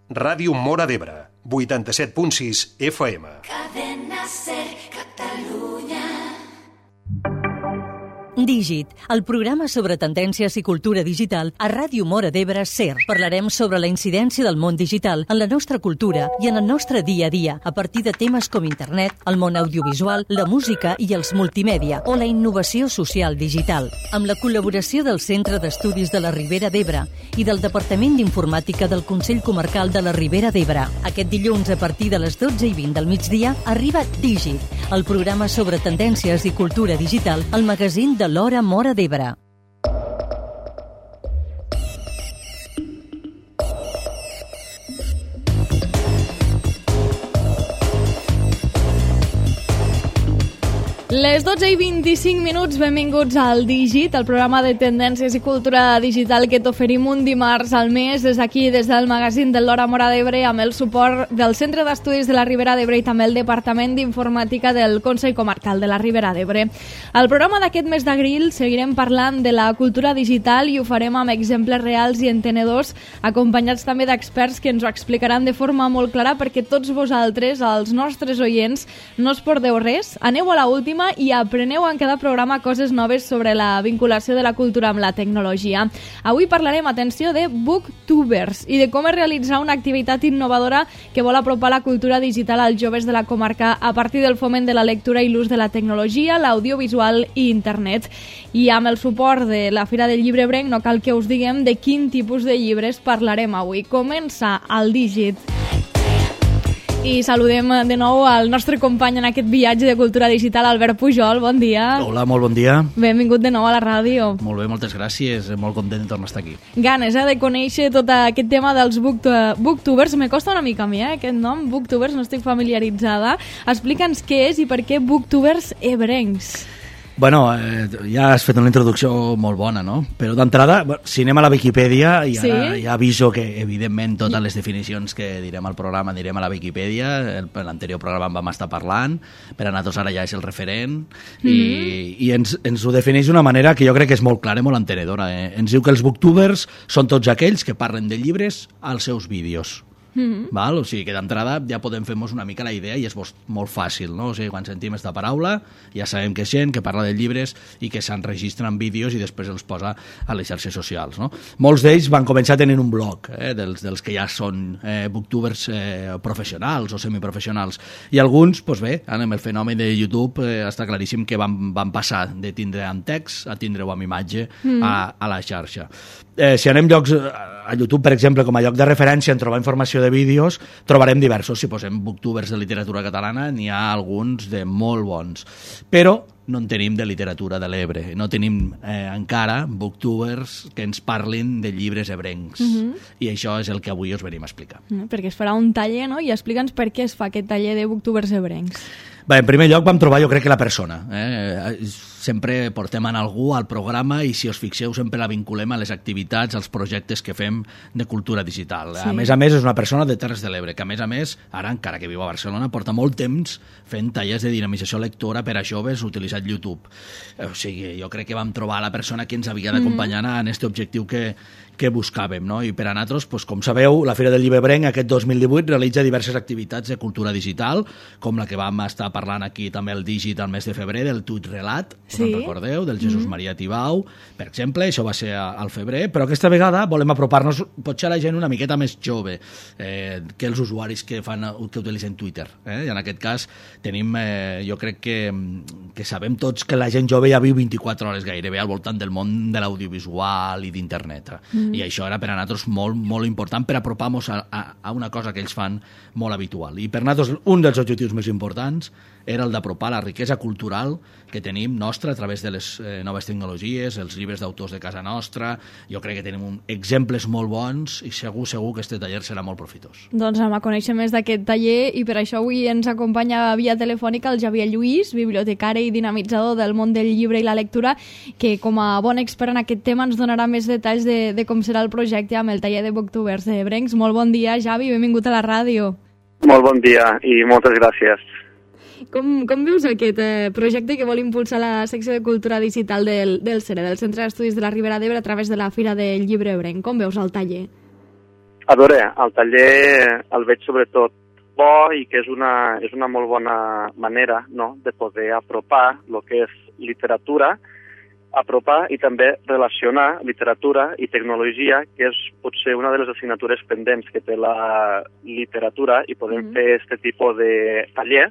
Ràdio Móra d'Ebre, 87.6 FM. Cadena Ser, Catalunya. Dígit, el programa sobre tendències i cultura digital a Ràdio Móra d'Ebre SER. Parlarem sobre la incidència del món digital en la nostra cultura i en el nostre dia a dia, a partir de temes com internet, el món audiovisual, la música i els multimèdia o la innovació social digital. Amb la col·laboració del Centre d'Estudis de la Ribera d'Ebre i del Departament d'Informàtica del Consell Comarcal de la Ribera d'Ebre. Aquest dilluns, a partir de les 12:20 del migdia, arriba Dígit, el programa sobre tendències i cultura digital, al magazín de l'Hora Móra d'Ebre. Les 12:25, benvinguts al Dígit, el programa de tendències i cultura digital que t'oferim un dimarts al mes des d'aquí, des del magazín de l'Hora Móra d'Ebre, amb el suport del Centre d'Estudis de la Ribera d'Ebre i també el Departament d'Informàtica del Consell Comarcal de la Ribera d'Ebre. Al programa d'aquest mes d'abril seguirem parlant de la cultura digital i ho farem amb exemples reals i entenedors, acompanyats també d'experts que ens ho explicaran de forma molt clara perquè tots vosaltres, els nostres oients, no us perdeu res, aneu a la última i apreneu en cada programa coses noves sobre la vinculació de la cultura amb la tecnologia. Avui parlarem, atenció, de booktubers i de com es realitzar una activitat innovadora que vol apropar la cultura digital als joves de la comarca a partir del foment de la lectura i l'ús de la tecnologia, l'audiovisual i internet. I amb el suport de la Fira del Llibre Ebrenc no cal que us diguem de quin tipus de llibres parlarem avui. Comença el Dígit. I saludem de nou al nostre company en aquest viatge de cultura digital, Albert Pujol. Bon dia. Hola, molt bon dia. Benvingut de nou a la ràdio. Molt bé, moltes gràcies. Molt content de tornar a estar aquí. Ganes, de conèixer tot aquest tema dels booktubers. Me costa una mica a mi, aquest nom, booktubers, no estic familiaritzada. Explica'ns què és i per què booktubers ebrencs. Bueno, ja has fet una introducció molt bona, no? Però d'entrada, si anem a la Viquipèdia, i ara ja aviso que, evidentment, totes les definicions que direm al programa anirem a la Viquipèdia. En l'anterior programa en vam estar parlant, per a nosaltres ara ja és el referent, i ens ho defineix d'una manera que jo crec que és molt clara i molt entenedora. Ens diu que els booktubers són tots aquells que parlen de llibres als seus vídeos. Val? O sigui que d'entrada ja podem fer-nos una mica la idea i és molt fàcil, no? O sigui, quan sentim aquesta paraula ja sabem que és gent que parla de llibres i que s'enregistren en vídeos i després els posa a les xarxes socials, no? Molts d'ells van començar tenint un blog, dels que ja són booktubers professionals o semiprofessionals, i alguns, doncs bé, amb el fenomen de YouTube està claríssim que van passar de tindre en text a tindre-ho amb imatge a la xarxa. Si anem a YouTube, per exemple, com a lloc de referència en trobar informació de vídeos, trobarem diversos. Si posem booktubers de literatura catalana, n'hi ha alguns de molt bons. Però no en tenim de literatura de l'Ebre. No tenim encara booktubers que ens parlin de llibres ebrencs. I això és el que avui us venim a explicar. Perquè es farà un taller, no? I explica'ns per què es fa aquest taller de booktubers ebrencs. Bé, en primer lloc vam trobar, jo crec que la persona. Sempre portem en algú al programa i, si us fixeu, sempre la vinculem a les activitats, als projectes que fem de cultura digital. Sí. A més, és una persona de Terres de l'Ebre, que a més, ara, encara que viu a Barcelona, porta molt temps fent tallers de dinamització lectora per a joves utilitzant YouTube. O sigui, jo crec que vam trobar la persona que ens havia d'acompanyar en aquest objectiu que buscàvem, no? I per a nosaltres, com sabeu, la Fira del Llibre Ebrenc aquest 2018 realitza diverses activitats de cultura digital, com la que vam estar parlant aquí també el Dígit al mes de febrer, del Tuit Relat, us en recordeu, del Jesús Maria Tibau, per exemple, això va ser al febrer, però aquesta vegada volem apropar-nos potser a la gent una miqueta més jove que els usuaris que utilitzen Twitter. I en aquest cas tenim, jo crec que sabem tots que la gent jove ja viu 24 hores gairebé al voltant del món de l'audiovisual i d'internet. I això era per a nosaltres molt, molt important per apropar-nos a una cosa que ells fan molt habitual. I per nosaltres un dels objectius més importants era el d'apropar la riquesa cultural que tenim nostra a través de les noves tecnologies, els llibres d'autors de casa nostra. Jo crec que tenim exemples molt bons i segur que aquest taller serà molt profitós. Doncs anem a conèixer més d'aquest taller i per això avui ens acompanya via telefònica el Xavier Lluís, bibliotecari i dinamitzador del món del llibre i la lectura, que com a bon expert en aquest tema ens donarà més detalls de com serà el projecte amb el taller de booktubers de Ebrencs. Molt bon dia, Xavi, benvingut a la ràdio. Molt bon dia i moltes gràcies. Com veus aquest projecte que vol impulsar la secció de cultura digital del CERE, del Centre d'Estudis de la Ribera d'Ebre, a través de la Fira del Llibre Ebrenc? Com veus el taller? A veure, el taller el veig sobretot bo i que és una molt bona manera, no?, de poder apropar el que és literatura, apropar i també relacionar literatura i tecnologia, que és potser una de les assignatures pendents que té la literatura, i podem fer aquest tipus de taller,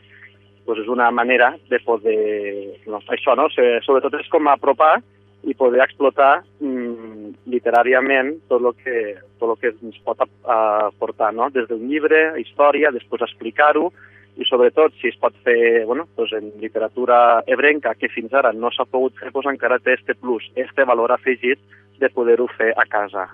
doncs és una manera de poder... No, això, no? Sobretot és com apropar i poder explotar literàriament tot el que ens pot aportar, no? Des d'un llibre, història, després explicar-ho, i sobretot si es pot fer doncs en literatura ebrenca, que fins ara no s'ha pogut fer, doncs encara té este plus, este valor afegit de poder-ho fer a casa.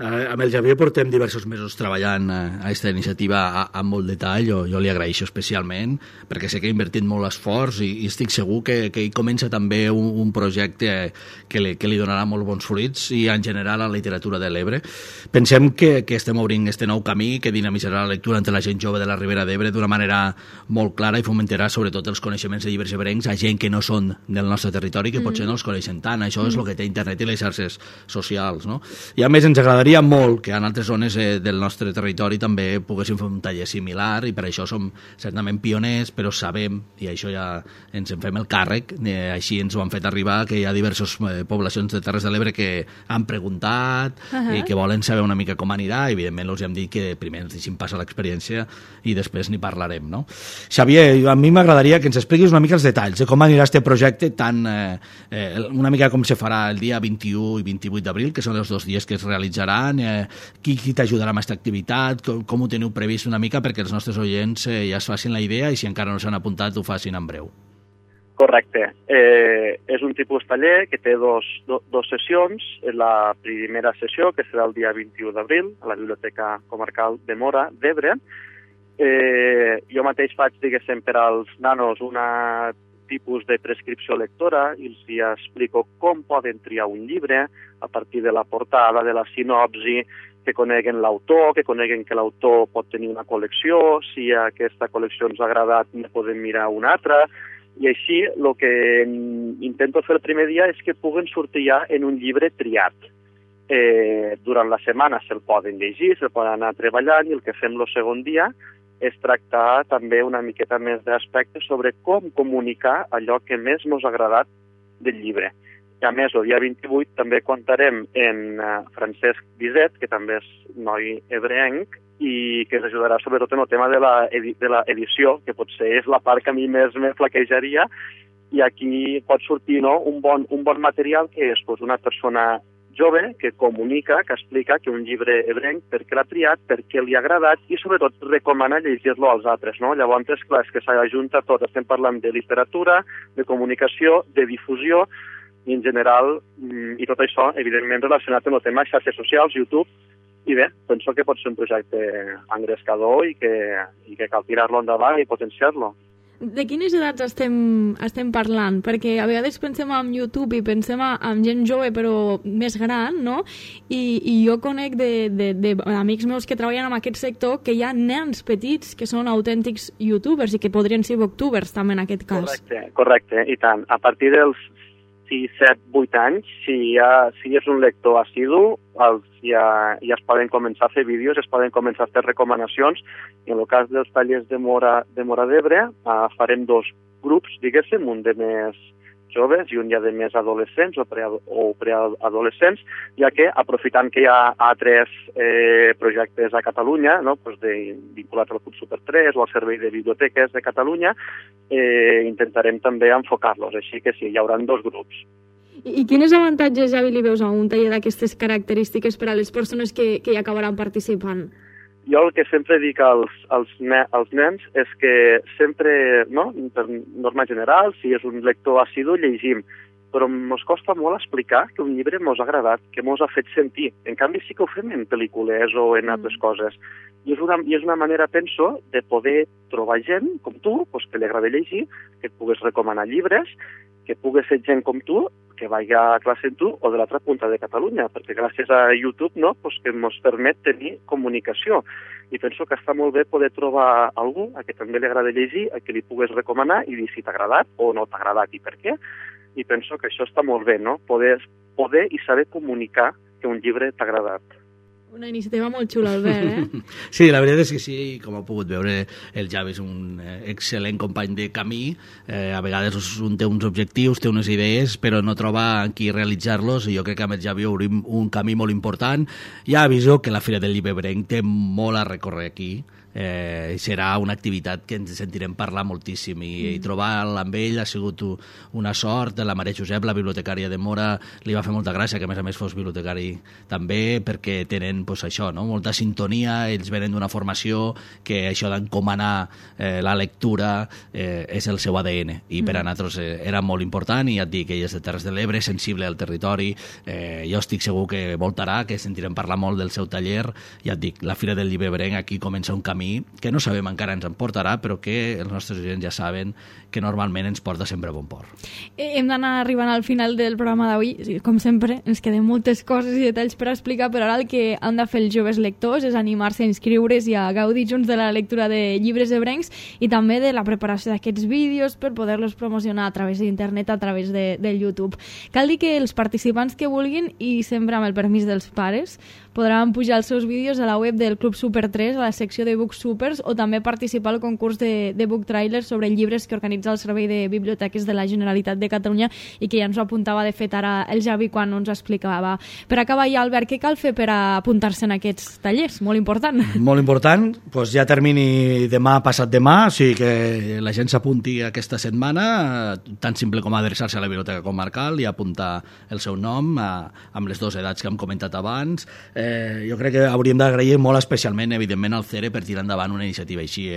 Amb el Javier portem diversos mesos treballant a aquesta iniciativa amb molt detall. Jo li agraeixo especialment perquè sé que ha invertit molt esforç i estic segur que ell comença també un projecte que li donarà molt bons fruits i en general a la literatura de l'Ebre. Pensem que estem obrint este nou camí que dinamitzarà la lectura entre la gent jove de la Ribera d'Ebre d'una manera molt clara i fomentarà sobretot els coneixements de llibres ebrencs a gent que no són del nostre territori, que potser no els coneixen tant. Això és el que té internet i les xarxes socials, no? I a més ens agradaria molt que en altres zones del nostre territori també poguéssim fer un taller similar, i per això som certament pioners, però sabem, i això ja ens en fem el càrrec, així ens ho han fet arribar, que hi ha diverses poblacions de Terres de l'Ebre que han preguntat i que volen saber una mica com anirà. Evidentment els hem dit que primer ens deixin passar l'experiència i després n'hi parlarem, no? Xavier, a mi m'agradaria que ens expliquis una mica els detalls de com anirà este projecte, tant una mica com se farà el dia 21 i 28 d'abril, que són els 2 dies que es realitzaran, qui t'ajudarà amb aquesta activitat, com ho teniu previst una mica perquè els nostres oients ja es facin la idea i si encara no s'han apuntat ho facin en breu. Correcte. És un tipus taller que té dos sessions. La primera sessió, que serà el dia 21 d'abril, a la Biblioteca Comarcal de Móra d'Ebre. Jo mateix faig, diguéssim, per als nanos una tipus de prescripció lectora i els explico com poden triar un llibre a partir de la portada, de la sinopsi, que coneguen l'autor, que coneguen que l'autor pot tenir una col·lecció, si aquesta col·lecció ens ha agradat ne podem mirar una altra, i així el que intento fer el primer dia és que puguen sortir ja en un llibre triat. Durant la setmana se'l poden llegir, se'l poden anar treballant, i el que fem el segon dia és tractar també una miqueta més d'aspectes sobre com comunicar allò que més ens ha agradat del llibre. I a més, el dia 28 també comptarem en Francesc Biset, que també és noi ebrenc, i que ens ajudarà sobretot en el tema de l'edició, que potser és la part que a mi més me flaquejaria, i aquí pot sortir un bon material que és una persona jove que comunica, que explica que un llibre ebrenc, per què l'ha triat, per què li ha agradat i sobretot recomana llegir-lo als altres, no? Llavors, és clar, és que s'ajunta tot. Estem parlant de literatura, de comunicació, de difusió i en general, i tot això, evidentment, relacionat amb el tema xarxes socials, YouTube, i bé, penso que pot ser un projecte engrescador i que cal tirar-lo endavant i potenciar-lo. De quines edats estem parlant? Perquè a vegades pensem en YouTube i pensem en gent jove però més gran, no? I jo conec d'amics meus que treballen en aquest sector que hi ha nens petits que són autèntics youtubers i que podrien ser booktubers també en aquest cas. Correcte, i tant. A partir dels 6, 7, 8 anys, si és un lector assidu, ja es poden començar a fer vídeos, es poden començar a fer recomanacions, i en el cas dels tallers de Móra d'Ebre farem 2 grups, diguéssim, un de més joves i un ja de més adolescents o preadolescents, ja que aprofitant que hi ha altres projectes a Catalunya, no? Vinculats al Club Super 3 o al Servei de Biblioteques de Catalunya, intentarem també enfocar-los, així que sí, hi haurà 2 grups. I quins avantatges, Javi, li veus a un taller d'aquestes característiques per a les persones que hi acabaran participant? Jo el que sempre dic als nens és que sempre, no, per norma general, si és un lector assidu, llegim, però ens costa molt explicar que un llibre ens ha agradat, que ens ha fet sentir. En canvi, sí que ho fem en pel·lícules o en altres coses. I és una manera, penso, de poder trobar gent com tu, que li agrada llegir, que et pugues recomanar llibres, que pugues ser gent com tu, que vagi a classe amb tu o de l'altra punta de Catalunya, perquè gràcies a YouTube que ens permet tenir comunicació. I penso que està molt bé poder trobar algú a qui també li agrada llegir, a qui li pugues recomanar i dir si t'ha agradat o no t'ha agradat i per què. I penso que això està molt bé, no? Poder i saber comunicar que un llibre t'ha agradat. Una iniciativa molt xula, Albert, Sí, la veritat és que sí, com heu pogut veure, el Javi és un excel·lent company de camí, a vegades un té uns objectius, té unes idees, però no troba en qui realitzar-los, i jo crec que amb el Javi obrim un camí molt important. Ja aviso que la Fira del Llibre Ebrenc té molt a recórrer aquí, serà una activitat que ens sentirem parlar moltíssim, i trobar-lo amb ell ha sigut una sort. La Maria Josep, la bibliotecària de Móra, li va fer molta gràcia que a més fos bibliotecari també, perquè tenen això, no? Molta sintonia, ells venen d'una formació que això d'encomanar la lectura és el seu ADN, i per a nosaltres era molt important. I ja et dic, ell és de Terres de l'Ebre, sensible al territori, jo estic segur que voltarà, que sentirem parlar molt del seu taller. Ja et dic, la Fira del Llibre Ebrenc aquí comença un camí que no sabem encara ens en portarà, però que els nostres oients ja saben que normalment ens porta sempre a bon port. Hem d'anar arribant al final del programa d'avui. Com sempre, ens queden moltes coses i detalls per explicar, però ara el que han de fer els joves lectors és animar-se a inscriure's i a gaudir junts de la lectura de llibres ebrencs i també de la preparació d'aquests vídeos per poder-los promocionar a través d'internet, a través del YouTube. Cal dir que els participants que vulguin, i sempre amb el permís dels pares, podran pujar els seus vídeos a la web del Club Super 3, a la secció de Book Supers, o també participar al concurs de Book Trailers sobre llibres que organitza el Servei de Biblioteques de la Generalitat de Catalunya, i que ja ens ho apuntava de fet ara el Javi quan ens explicava. Per acabar ja, Albert, què cal fer per apuntar-se en aquests tallers? Molt important. Molt important, doncs ja termini demà, passat demà, o sigui que la gent s'apunti aquesta setmana, tan simple com adreçar-se a la Biblioteca Comarcal i apuntar el seu nom amb les dues edats que hem comentat abans. Jo crec que hauríem d'agrair molt especialment, evidentment, al CERE per tirar endavant una iniciativa així.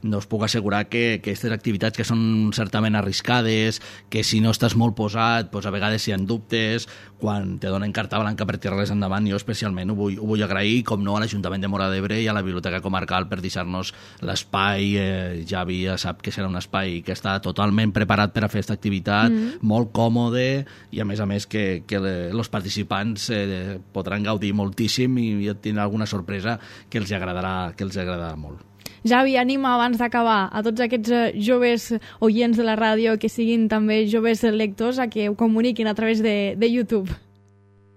No us puc assegurar que aquestes activitats que són certament arriscades, que si no estàs molt posat, doncs a vegades hi ha dubtes, quan te donen carta blanca per tirar-les endavant, jo especialment ho vull agrair, com no, a l'Ajuntament de Móra d'Ebre i a la Biblioteca Comarcal per deixar-nos l'espai. Javi ja sap que serà un espai que està totalment preparat per a fer aquesta activitat, molt còmode, i a més que els participants podran gaudir moltíssim, i tindrà alguna sorpresa que els agradarà molt. Javi, anima abans d'acabar a tots aquests joves oients de la ràdio, que siguin també joves lectors, a que ho comuniquin a través de YouTube.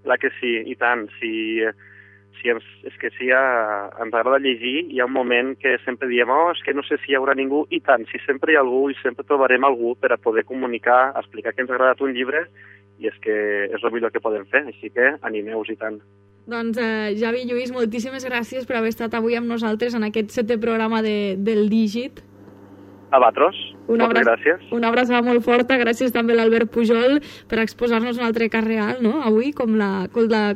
Clar que sí, i tant. És que si ens agrada llegir, hi ha un moment que sempre diem és que no sé si hi haurà ningú, i tant, si sempre hi ha algú, i sempre trobarem algú per a poder comunicar, explicar que ens ha agradat un llibre, i és que és el millor que podem fer, així que animeu-vos i tant. Doncs Javi i Lluís, moltíssimes gràcies per haver estat avui amb nosaltres en aquest 7è programa del Dígit. A vosaltres, moltes gràcies. Una abraçada molt forta, gràcies també a l'Albert Pujol per exposar-nos un altre cas real, no? Avui, com la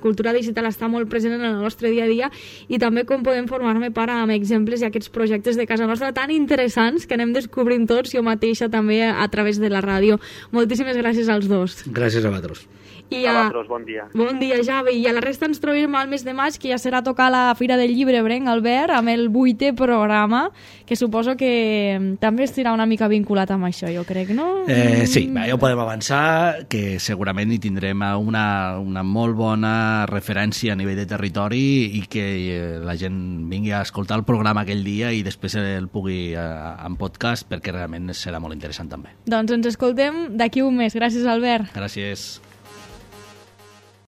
cultura digital està molt present en el nostre dia a dia, i també com podem formar-ne part amb exemples i aquests projectes de casa nostra tan interessants que anem descobrint tots, jo mateixa també a través de la ràdio. Moltíssimes gràcies als dos. Gràcies a vosaltres. I a vosaltres, bon dia. Bon dia, Javi. I a la resta ens trobem al mes de maig, que ja serà tocar la Fira del Llibre Ebrenc, Albert, amb el 8è programa, que suposo que també estarà una mica vinculat amb això, jo crec, no? Sí, ja ho podem avançar, que segurament hi tindrem una molt bona referència a nivell de territori, i que la gent vingui a escoltar el programa aquell dia i després el pugui en podcast, perquè realment serà molt interessant també. Doncs ens escoltem d'aquí un mes. Gràcies, Albert. Gràcies.